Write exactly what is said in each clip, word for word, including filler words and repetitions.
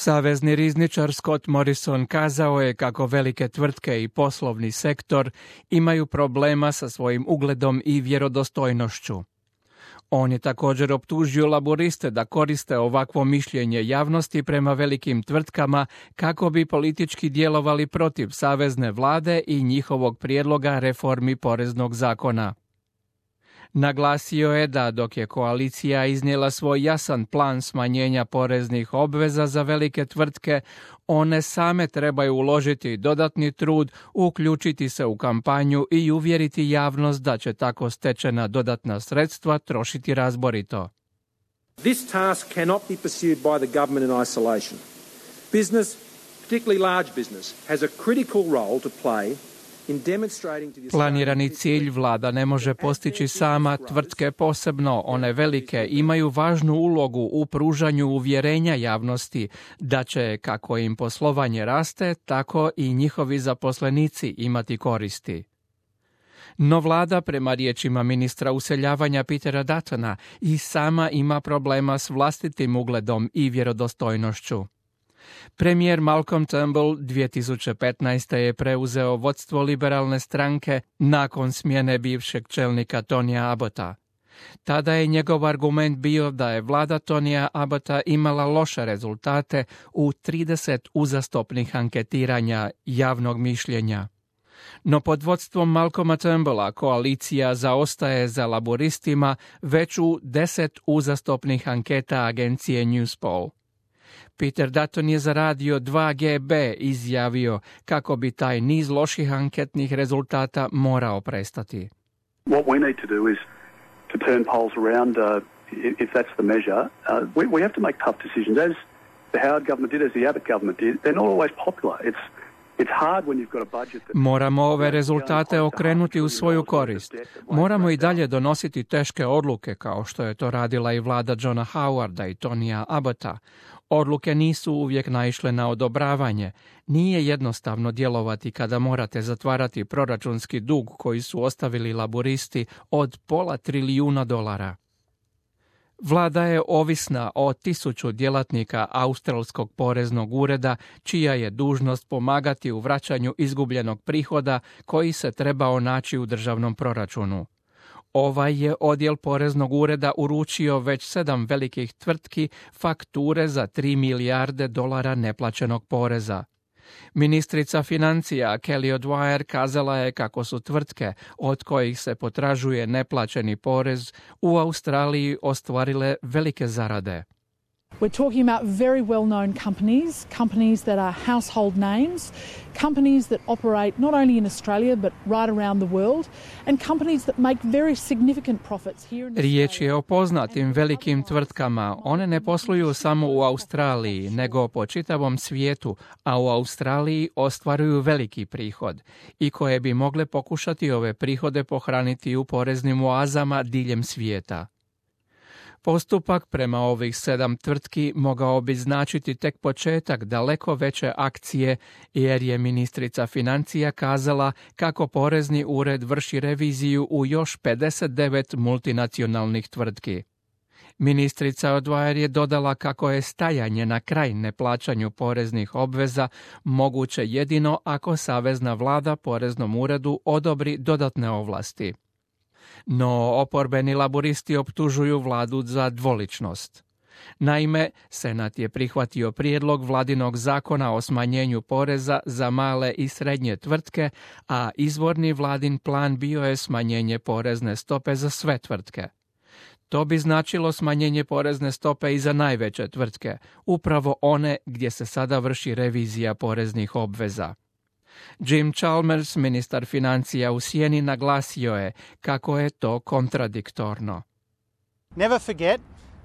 Savezni rizničar Scott Morrison kazao je kako velike tvrtke i poslovni sektor imaju problema sa svojim ugledom i vjerodostojnošću. On je također optužio laboriste da koriste ovakvo mišljenje javnosti prema velikim tvrtkama kako bi politički djelovali protiv savezne vlade i njihovog prijedloga reformi poreznog zakona. Naglasio je da dok je koalicija iznijela svoj jasan plan smanjenja poreznih obveza za velike tvrtke, one same trebaju uložiti dodatni trud, uključiti se u kampanju i uvjeriti javnost da će tako stečena dodatna sredstva trošiti razborito. This task cannot be pursued by the government in isolation. Business, particularly large business, has a critical role to play. Planirani cilj vlada ne može postići sama, tvrtke posebno, one velike, imaju važnu ulogu u pružanju uvjerenja javnosti da će, kako im poslovanje raste, tako i njihovi zaposlenici imati koristi. No vlada, prema riječima ministra useljavanja Petera Duttona, i sama ima problema s vlastitim ugledom i vjerodostojnošću. Premijer Malcolm Turnbull dvije tisuće petnaeste. je preuzeo vodstvo liberalne stranke nakon smjene bivšeg čelnika Tonya Abbotta. Tada je njegov argument bio da je vlada Tonya Abbotta imala loše rezultate u trideset uzastopnih anketiranja javnog mišljenja. No pod vodstvom Malcolma Turnbulla koalicija zaostaje za laboristima već u deset uzastopnih anketa agencije Newspoll. Peter Dutton je za radio dva G B izjavio kako bi taj niz loših anketnih rezultata morao prestati. What we need to do is to turn polls around uh, if that's the measure. Uh, we, we have to make tough decisions as the Howard government did, as the Abbott government did. They're not always popular. It's Moramo ove rezultate okrenuti u svoju korist. Moramo i dalje donositi teške odluke kao što je to radila i vlada Johna Howarda i Tonya Abbotta. Odluke nisu uvijek naišle na odobravanje. Nije jednostavno djelovati kada morate zatvarati proračunski dug koji su ostavili laburisti od pola trilijuna dolara. Vlada je ovisna o tisuću djelatnika Australskog poreznog ureda, čija je dužnost pomagati u vraćanju izgubljenog prihoda koji se trebao naći u državnom proračunu. Ovaj je odjel poreznog ureda uručio već sedam velikih tvrtki fakture za tri milijarde dolara neplaćenog poreza. Ministrica financija Kelly O'Dwyer kazala je kako su tvrtke od kojih se potražuje neplaćeni porez u Australiji ostvarile velike zarade. We're talking about very well-known companies, companies that are household names, companies that operate not only in Australia but right around the world, and companies that make very significant profits here in Australia. Riječ je o poznatim velikim tvrtkama. One ne posluju samo u Australiji, nego po čitavom svijetu, a u Australiji ostvaruju veliki prihod i koje bi mogle pokušati ove prihode pohraniti u poreznim oazama diljem svijeta. Postupak prema ovih sedam tvrtki mogao bi značiti tek početak daleko veće akcije, jer je ministrica financija kazala kako porezni ured vrši reviziju u još pedeset devet multinacionalnih tvrtki. Ministrica O'Dwyer je dodala kako je stajanje na kraj neplaćanju poreznih obveza moguće jedino ako savezna vlada poreznom uredu odobri dodatne ovlasti. No oporbeni laburisti optužuju vladu za dvoličnost. Naime, Senat je prihvatio prijedlog vladinog zakona o smanjenju poreza za male i srednje tvrtke, a izvorni vladin plan bio je smanjenje porezne stope za sve tvrtke. To bi značilo smanjenje porezne stope i za najveće tvrtke, upravo one gdje se sada vrši revizija poreznih obveza. Jim Chalmers, ministar financija u sjeni, naglasio je kako je to kontradiktorno. Never forget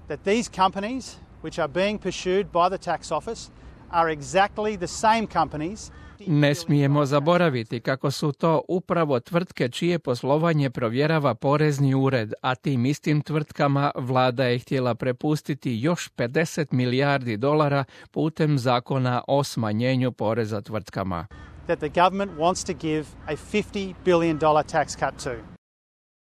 that these companies which are being pursued by the tax office are exactly the same companies. Ne smijemo zaboraviti kako su to upravo tvrtke čije poslovanje provjerava porezni ured, a tim istim tvrtkama vlada je htjela prepustiti još pedeset milijardi dolara putem zakona o smanjenju poreza tvrtkama. That the government wants to give a fifty billion dollars tax cut to.